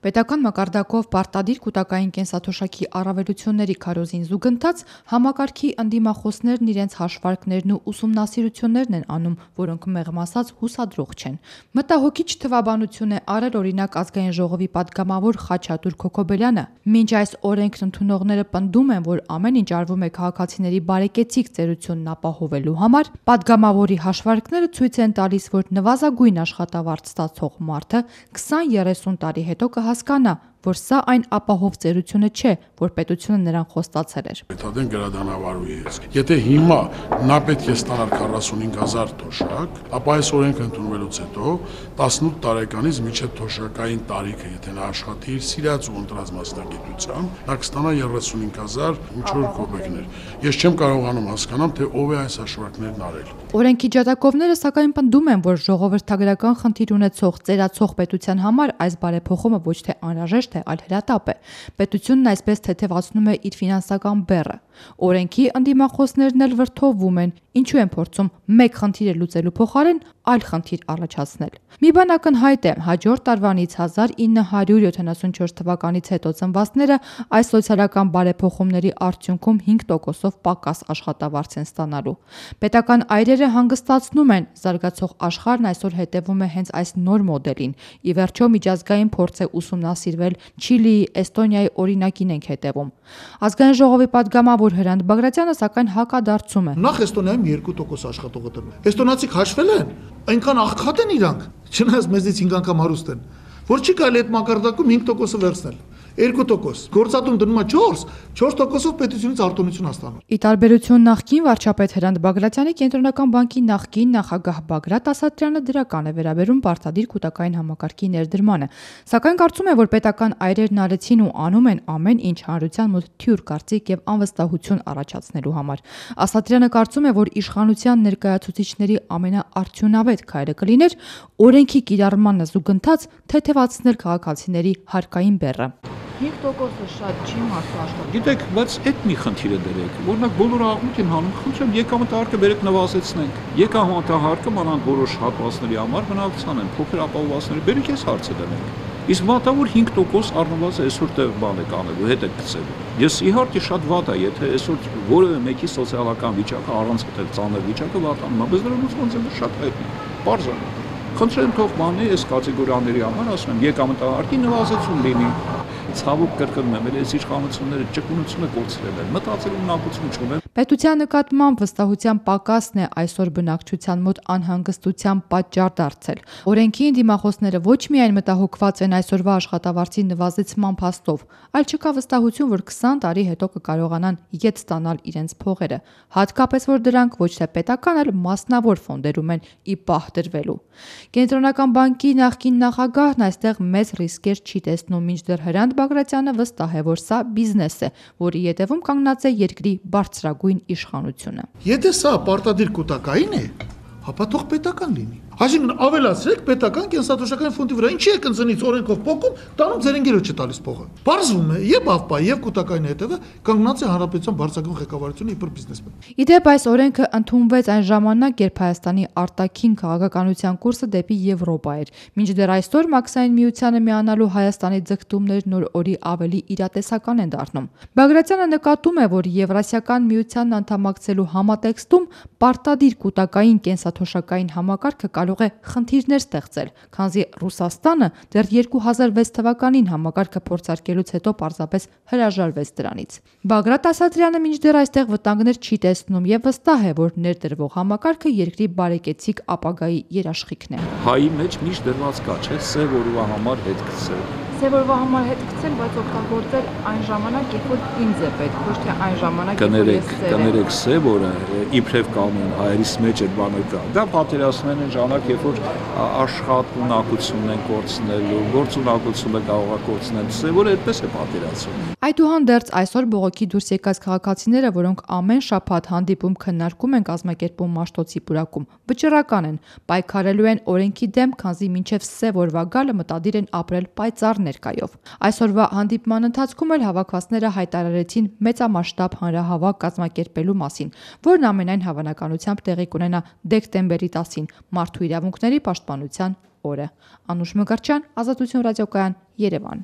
Պետական մակարդակով պարտադիր կուտակային կենսաթոշակի առավելությունների քարոզին զուգընթաց համակարգի ընդդիմախոսներն իրենց հաշվարկներն ու ուսումնասիրություններն են անում, որոնք մեղմ ասած հուսադրող չեն։ Մտահոգիչ թվաբանություն է արել օրինակ Ազգային ժողովի պատգամավոր Խաչատուր Քոքոբելյանը։ Մինչ այս օրենքն ընդունողները պնդում են, որ ամեն ինչ արվում է քաղաքացիների բարեկեցիկ ծերությունն ապահովելու համար, պատգամավորի հաշվարկները ցույց են տալիս, որ նվազագույն աշխատավարձ ստացող մարդը 20-30 տարի հետո կհասկանա, որ սա այն ապահով ծերությունը չէ, որ պետությունը նրան խոստացել էր։ Պետադեն գրադանավարուի ես։ Եթե հիմա նա պետք է ստանար 45,000 թոշակ, ապա այս օրենքը ընդունվելուց հետո 18 տարեկանից մինչև թոշակային տարիքը, եթե նա աշխատի իր սիրած ու ընտրած մասնագիտությամբ, նա կստանա 35,000 ինչ-որ կոպեկներ։ Ես չեմ կարողանում հասկանամ, թե ով է այս հաշվարկներն արել։ Օրենքի ջատագովները սակայն պնդում են, որ ժողովրդագրական խնդիր ունեցող ծերացող պետության համար այս բարեփոխումը ոչ թե անհրաժեշտ է, այլ հրատապ է։ Պետությունն այսպես թեթևացնում է իր ֆինանսական բեռը։ Օրենքի ընդդիմախոսներն էլ վրդովվում են, ինչու են փորձում մեկ խնդիրը լուծելու փոխարեն այլ խնդիր առաջացնել։ Մի բան ակնհայտ է, հաջորդ տարվանից 1974 թվականից հետո ծնվածները այս սոցիալական բարեփոխումների արդյունքում 5%-ով պակաս աշխատավարձ են ստանալու։ Պետական այրերը հանգստացնում են, զարգացող աշխարհն այսօր հետևում է հենց այս նոր մոդելին։ Ի վերջո միջազգային փորձ է ուսումնասիրվել, Չիլիի, Էստոնիայի օրինակին ենք հետևում։ Ազգային ժողովի պատգամավոր Հրանտ Բագրատյանը սակայն հակադարձում է։ Նախ Էստոնիայում 2% աշխատողը տրվում։ Էստոնացիք հաշվել են, այնքան աղքատ են իրանք, չնայած մեզից 5 անգամ հարուստ են, որ չի կարելի այդ մակարդակում 5% վերցնել։ 2%, գործատում դնում է 4%-ով պետությունից արտոնություն հաստանում։ Ի տարբերություն նախկին վարչապետ Հրանտ Բագրատյանի, Կենտրոնական բանկի նախկին նախագահ Բագրատ Ասատրյանը դրական է վերաբերում պարտադիր կուտակային համակարգի ներդրմանը, սակայն կարծում է, որ պետական այրերն արեցին ու անում են ամեն ինչ հանրության մոտ թյուր կարծիք եւ անվստահություն առաջացնելու համար։ Ասատրյանը կարծում է, որ իշխանության ներկայացուցիչների ամենաարդյունավետ քայլը կլիներ օրենքի կիրառմանը զուգընթաց թեթևացնել քաղաքացիների հարկային բեռը։ 5%-ը շատ չի մարդու աշխատում։ Գիտեք, բայց այդ մի խնդիր է դրեք։ Օրինակ բոլորը աղմուկ են հանում, խնդրեմ եկամտահարկը բերեք նվազեցնենք։ Եկամտահարկը մանավանդ որոշ հատվածների համար բնակության են, փոքր ապահովվածների բերեք այս հարցը դնենք։ Իսկ մատավոր 5% առնվազն այսօր տեղ բան է կանելու, հետ է գցելու։ Ես իհարկե շատ վատ է, եթե այսօր որևէ մեկի սոցիալական վիճակը առանց այդ ծանր վիճակը վատանում է, բայց դրա լուծումը շատ հայտնի է։ Պարզ է։ Խնդրեմ թող բանի այս կատեգորիաների համար ասում եմ եկամտահարկի նվազեցում լինի։ Ցավոք կրկնում եմ, այս իշխանությունները ճկունությունը կորցրել են, մտածելու ունակություն չունեն։ Պետության նկատմամբ վստահության պակասն է այսօր բնակչության մոտ անհանգստության պատճառ դարձել։ Օրենքի ընդդիմախոսները ոչ միայն մտահոգված են այսօրվա աշխատավարձի նվազեցման փաստով, այլ չկա վստահություն, որ 20 տարի հետո կկարողանան ետ ստանալ իրենց փողերը, հատկապես որ դրանք ոչ թե պետական, այլ մասնավոր ֆոնդերում են ի պահ դրվելու։ Կենտրոնական բանկի նախկին նախագահն այստեղ մեծ ռիսկեր չի տեսնում, մինչդեռ Հրանտ Բագրատյանը վստահ է, որ սա բիզնես է, որի ետևում կանգնած է երկրի բարձրագույն իշխանությունը։ Եթե սա պարտադիր կուտակային է, ապա թող պետական լինի։ Այսինքն ավելացրեք պետական կենսաթոշակային ֆոնդի վրա, ինչի է կնձնից օրենքով փոխում, տանում ձեր ընկերոջ չտալիս փողը։ Բարձվում է եւ ԱՎՊԱ եւ կուտակային հետևը կանգնած է հանրապետության բարձրագույն ղեկավարությունը իբր բիզնեսմեն։ Իդեպ այս օրենքը ընդունվեց այն ժամանակ, երբ Հայաստանի արտաքին քաղաքականության կուրսը դեպի Եվրոպա էր։ Մինչդեռ այսօր Մաքսային միությանը միանալու Հայաստանի ձգտումներն օր-օրի ավելի իրատեսական են դառնում։ Բագրատյանը նկատում է, որ Եվրասիական միությանն անդամակցելու համատեքստում պարտադիր կուտակային կենսաթոշակային համակարգը կարող է խնդիրներ ստեղծել, քանզի Ռուսաստանը դեռ 2006 թվականին համակարգը փորձարկելուց հետո պարզապես հրաժարվեց դրանից։ Բագրատ Ասատրյանը մինչդեռ այստեղ վտանգներ չի տեսնում եւ վստահ է, որ ներդրվող համակարգը երկրի բարեկեցիկ ապագայի երաշխիքն է։ Հայի մեջ միշտ դրված կա, չէ՞, սև օրվա համար հետ գցել։ Սև օրվա համար հետ գցել, բայց օգտագործել այն ժամանակ, երբ որ ինձ է պետք, ոչ թե այն ժամանակ, երբ որ ես սև եմ։ Կներեք սև օրը իբրև կանոն հայերիս մեջ այդ բանը կա։ Դա պատերազմն են ժամանակ, երբ որ աշխատունակությունն են կորցնելու, գործունակությունը կարող է կորցնել, սև օրը այդպես է պատերազմում։ Այդուհանդերձ այսօր բողոքի դուրս եկած քաղաքացիները, որոնք ամեն շաբաթ հանդիպում քննարկում են կազմակերպում Մաշտոցի պուրակում, վճռական են, պայքարելու են օրենքի դեմ, քանզի մինչև սև օրվա գալը մտադիր են ապրել պայծառ ներկայով։ Այսօրվա հանդիպման ընթացքում էլ հավաքվածները հայտարարեցին մեծամասշտաբ հանրահավաք կազմակերպելու մասին, որն ամենայն հավանականությամբ տեղի կունենա դեկտեմբերի 10-ին, Մարդու իրավունքների պաշտպանության օրը։ Անուշ Մկրտչյան, Ազատություն ռադիոկայան, Երևան։